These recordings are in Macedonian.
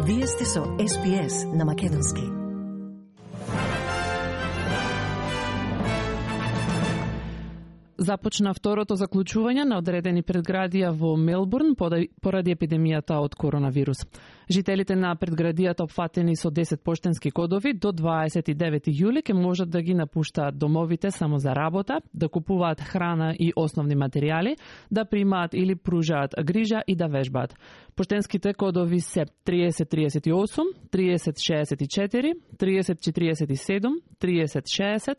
Вие сте со SPS на Македонски. Започна второто заклучување на одредени предградија во Мелбурн поради епидемијата од коронавирус. Жителите на предградијата опфатени со 10 поштенски кодови до 29 јули ќе можат да ги напуштаат домовите само за работа, да купуваат храна и основни материјали, да примаат или пружаат грижа и да вежбаат. Поштенските кодови се 3038, 3064, 3047, 3060,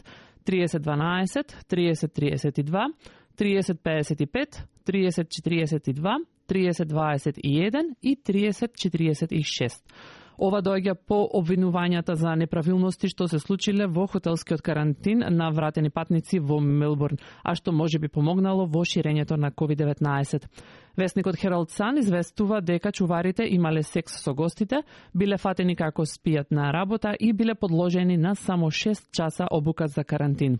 3012, 3032, 3055, 3042, 3021 и 3046. Ова доаѓа по обвинувањата за неправилности што се случиле во хотелскиот карантин на вратени патници во Мелбурн, а што може би помогнало во ширењето на COVID-19. Весникот Herald Sun известува дека чуварите имале секс со гостите, биле фатени како спијат на работа и биле подложени на само 6 часа обука за карантин.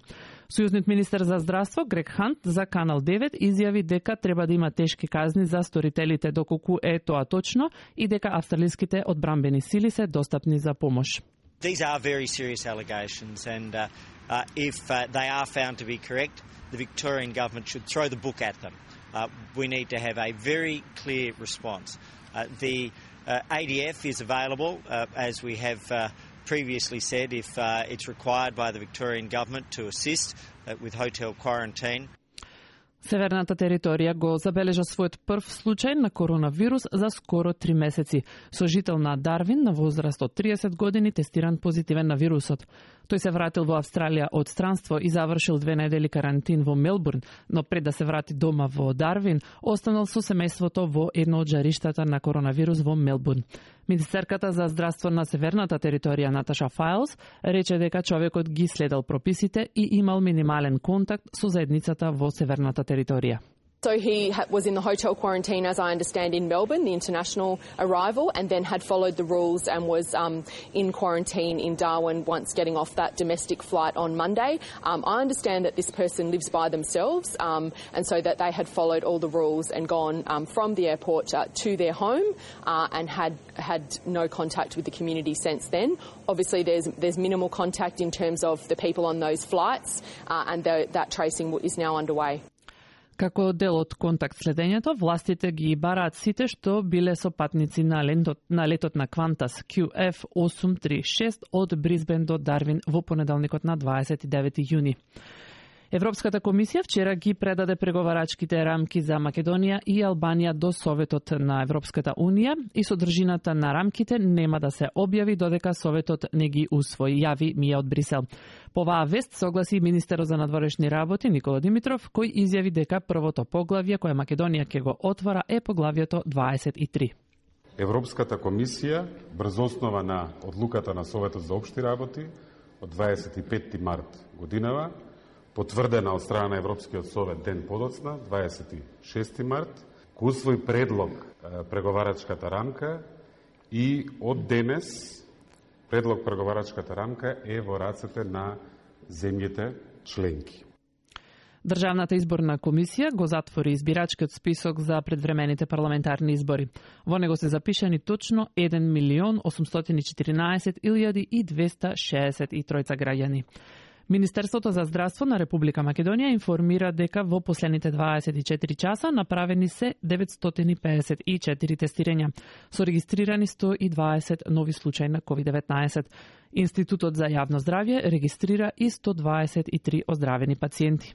Сојузниот министер за здравство Грег Хант за Канал 9 изјави дека треба да има тешки казни за сторителите доколку е тоа точно и дека австралиските одбранбени сили се достапни за помош. These are very serious allegations and if they are found to be correct, the Victorian government should throw the book at them. We need to have a very clear response. The ADF is available, as we have previously said, if it's required by the Victorian government to assist with hotel quarantine. Северната територија го забележа својот прв случај на коронавирус за скоро 3 месеци, со жител на Дарвин на возраст од 30 години тестиран позитивен на вирусот. Тој се вратил во Австралија од странство и завршил 2 недели карантин во Мелбурн, но пред да се врати дома во Дарвин, останал со семејството во едно од жариштата на коронавирус во Мелбурн. Министерката за здравство на северната територија Наташа Файлс рече дека човекот ги следел прописите и имал минимален контакт со заедницата во северната територија. So he was in the hotel quarantine, as I understand, in Melbourne, the international arrival, and then had followed the rules and was in quarantine in Darwin once getting off that domestic flight on Monday. I understand that this person lives by themselves, and so that they had followed all the rules and gone from the airport to their home and had no contact with the community since then. Obviously, there's minimal contact in terms of the people on those flights, and that tracing is now underway. Како дел од контакт следењето, властите ги бараат сите што биле со патници на летот на Qantas QF836 од Брисбен до Дарвин во понеделникот на 29 јуни. Европската комисија вчера ги предаде преговарачките рамки за Македонија и Албанија до Советот на Европската Унија и содржината на рамките нема да се објави додека Советот не ги усвои, јави Мија од Брисел. По оваа вест согласи министерот за надворешни работи Никола Димитров, кој изјави дека првото поглавје кое Македонија ќе го отвора е поглавјето 23. Европската комисија, врз основа на одлуката на Советот за општи работи од 25 март годинава, потврдена од страна на Европскиот совет ден подоцна, 26 март, кој усвои предлог преговарачката рамка и од денес предлог преговарачката рамка е во рацете на земјите членки. Државната изборна комисија го затвори избирачкиот список за предвремените парламентарни избори. Во него се запишани точно 1.814.263 граѓани. Министерството за здравство на Република Македонија информира дека во последните 24 часа направени се 954 тестирања, со регистрирани 120 нови случаи на COVID-19. Институтот за јавно здравје регистрира и 123 оздравени пациенти.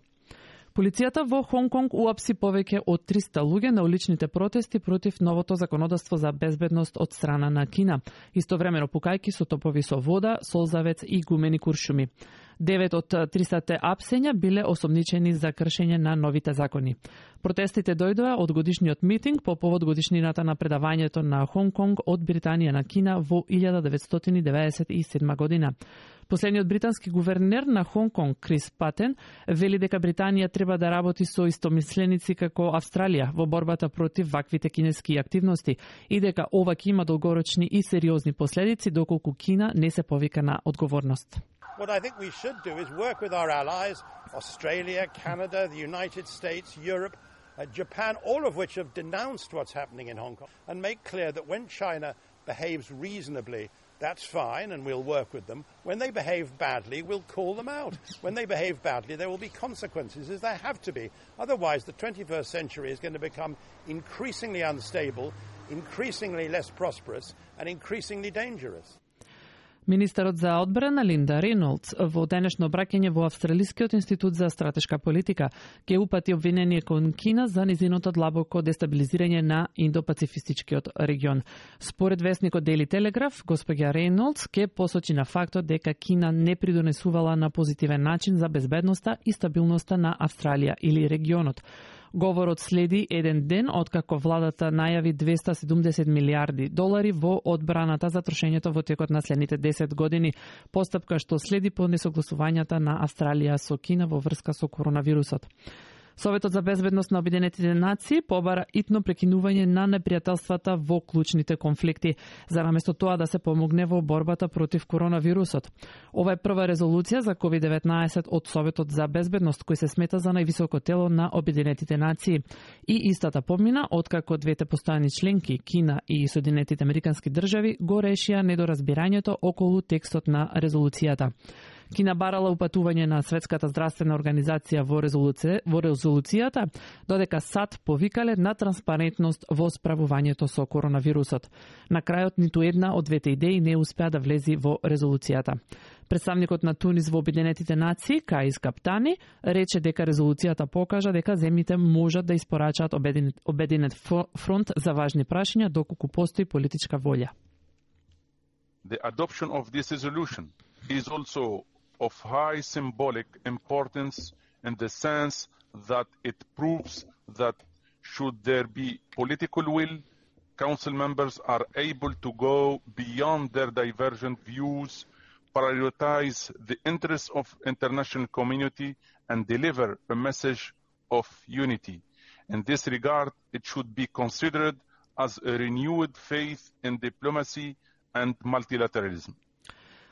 Полицијата во Хонг Конг уапси повеќе од 300 луѓе на уличните протести против новото законодавство за безбедност од страна на Кина, истовремено пукајки со топови со вода, солзавец и гумени куршуми. 9 од 300 апсења биле осомничени за кршење на новите закони. Протестите дојдоа од годишниот митинг по повод годишнината на предавањето на Хонг Конг од Британија на Кина во 1997 година. Последниот британски гувернер на Хонг Конг, Крис Патен, вели дека Британија треба да работи со истомисленици како Австралија во борбата против ваквите кинески активности и дека ова ќе има долгорочни и сериозни последици доколку Кина не се повика на одговорност. What I think we should do is work with our allies, Australia, Canada, the United States, Europe, Japan, all of which have denounced what's happening in Hong Kong, and make clear that when China behaves reasonably, that's fine, and we'll work with them. When they behave badly, we'll call them out. When they behave badly, there will be consequences, as there have to be. Otherwise, the 21st century is going to become increasingly unstable, increasingly less prosperous, and increasingly dangerous. Министерот за одбрана Линда Рейнолдс во денешно обраќање во Австралискиот институт за стратешка политика ќе упати обвинение кон Кина за низиното длабоко дестабилизирање на Индо-Пацифистичкиот регион. Според весникот Daily Telegraph, госпоѓа Рейнолдс ќе посочи на фактот дека Кина не придонесувала на позитивен начин за безбедноста и стабилноста на Австралија или регионот. Говорот следи еден ден откако владата најави $270 милиарди во одбраната за трошењето во текот на следните 10 години, постапка што следи по несогласувањата на Австралија со Кина во врска со коронавирусот. Советот за безбедност на Обединетите нации побара итно прекинување на непријателствата во клучните конфликти, за наместо тоа да се помогне во борбата против коронавирусот. Ова е прва резолуција за COVID-19 од Советот за безбедност, кој се смета за највисоко тело на Обединетите нации. И истата помина откако двете постојани членки, Кина и Соединетите Американски држави, го решија недоразбирањето околу текстот на резолуцијата. Кина барала упатување на Светската здравствена организација во резолуцијата, додека САД повикале на транспарентност во справувањето со коронавирусот. На крајот ниту една од двете идеи не успеа да влези во резолуцијата. Представникот на Тунис во Обединетите нации, Каис Каптани, рече дека резолуцијата покажа дека земјите можат да испорачаат обединет фронт за важни прашања доколку постои политичка волја. The adoption of this resolution is also of high symbolic importance in the sense that it proves that should there be political will, Council members are able to go beyond their divergent views, prioritize the interests of international community and deliver a message of unity. In this regard, it should be considered as a renewed faith in diplomacy and multilateralism.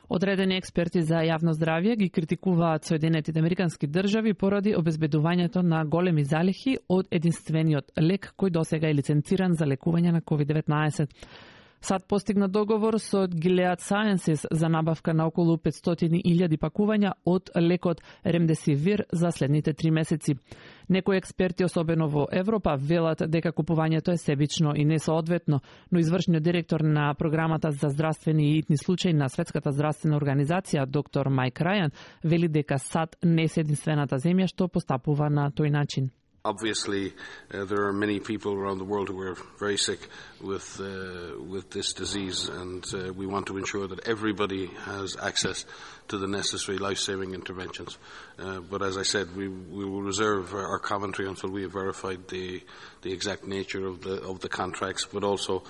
Одредени експерти за јавно здравје ги критикуваат Соединетите Американски држави поради обезбедувањето на големи залихи од единствениот лек кој досега е лиценциран за лекување на COVID-19. САД постигна договор со Gilead Sciences за набавка на околу 500.000 пакувања од лекот Remdesivir за следните 3 месеци. Некои експерти, особено во Европа, велат дека купувањето е себично и несоодветно, но извршниот директор на програмата за здравствени и итни случаи на Светската здравствена организација, доктор Майк Рајан, вели дека САД не е единствената земја што постапува на тој начин. Obviously, there are many people around the world who are very sick with this disease, and we want to ensure that everybody has access to the necessary life-saving interventions. But as I said, we will reserve our commentary until we have verified the exact nature of the contracts. But also,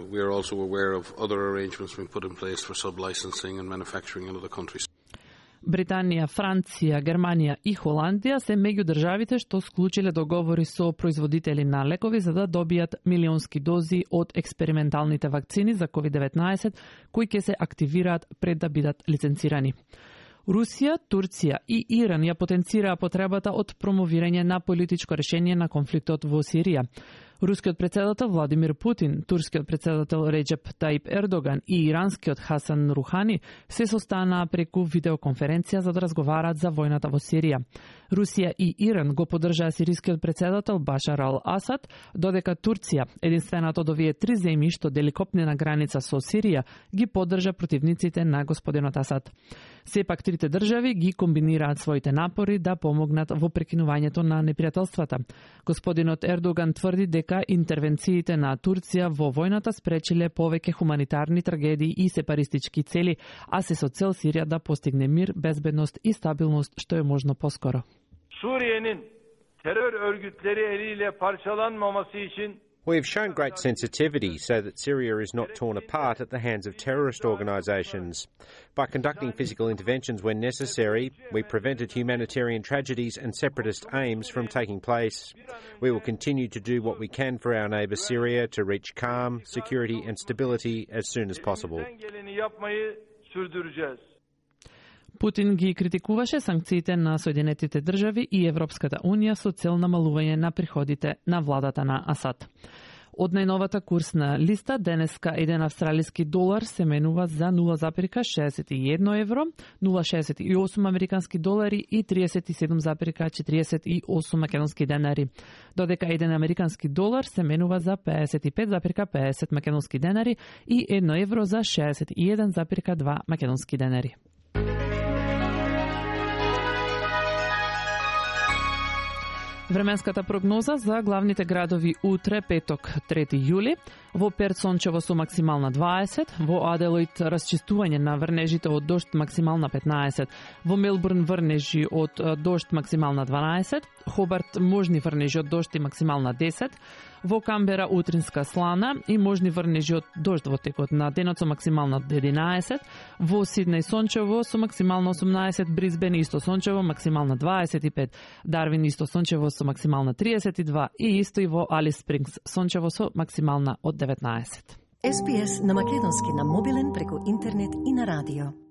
we are also aware of other arrangements being put in place for sub-licensing and manufacturing in other countries. Британија, Франција, Германија и Холандија се меѓу државите што склучиле договори со производители на лекови за да добијат милионски дози од експерименталните вакцини за COVID-19 кои ќе се активираат пред да бидат лиценцирани. Русија, Турција и Иран ја потенцираа потребата од промовирање на политичко решение на конфликтот во Сирија. Рускиот председател Владимир Путин, турскиот председател Реджеп Таип Ердоган и иранскиот Хасан Рухани се состанаа преку видеоконференција за да разговараат за војната во Сирија. Русија и Иран го поддржаа сирискиот председател Башар ал-Асад, додека Турција, единствената од овие 3 земји што дели копнена граница со Сирија, ги поддржа противниците на господинот Асад. Сепак трите држави ги комбинираат своите напори да помогнат во прекинувањето на непријателствата. Господинот Ердоган тврди дека интервенциите на Турција во војната спречиле повеќе хуманитарни трагедии и сепаристички цели, а се со цел Сирија да постигне мир, безбедност и стабилност што е можно поскоро. Suriye'nin terör örgütleri eliyle parçalanmaması için We have shown great sensitivity so that Syria is not torn apart at the hands of terrorist organisations. By conducting physical interventions when necessary, we prevented humanitarian tragedies and separatist aims from taking place. We will continue to do what we can for our neighbour Syria to reach calm, security and stability as soon as possible. Путин ги критикуваше санкциите на Соединетите држави и Европската унија со цел намалување на приходите на владата на Асад. Од најновата курсна листа, денеска еден австралиски долар се менува за 0,61 евро, 0,68 американски долари и 37,48 македонски денари. Додека еден американски долар се менува за 55,50 македонски денари и 1 евро за 61,2 македонски денари. Временската прогноза за главните градови утре, петок, 3 јули. Во Перт сончево со максимална 20, во Аделоид расчистување на врнежите од дожд максимална 15, во Мелбурн врнежи од дожд максимална 12, Хобарт можни врнежи од дожд и максимална 10, во Камбера утринска слана и можни врнежи од дожд во текот на денот со максимална 11, во Сиднеј сончево со максимална 18, Брисбен исто сончево максимална 25, Дарвин исто сончево со максимална 32 и исто и во Алис Спрингс сончево со максимална од 19. SPS на македонски на мобилен преку интернет и на радио.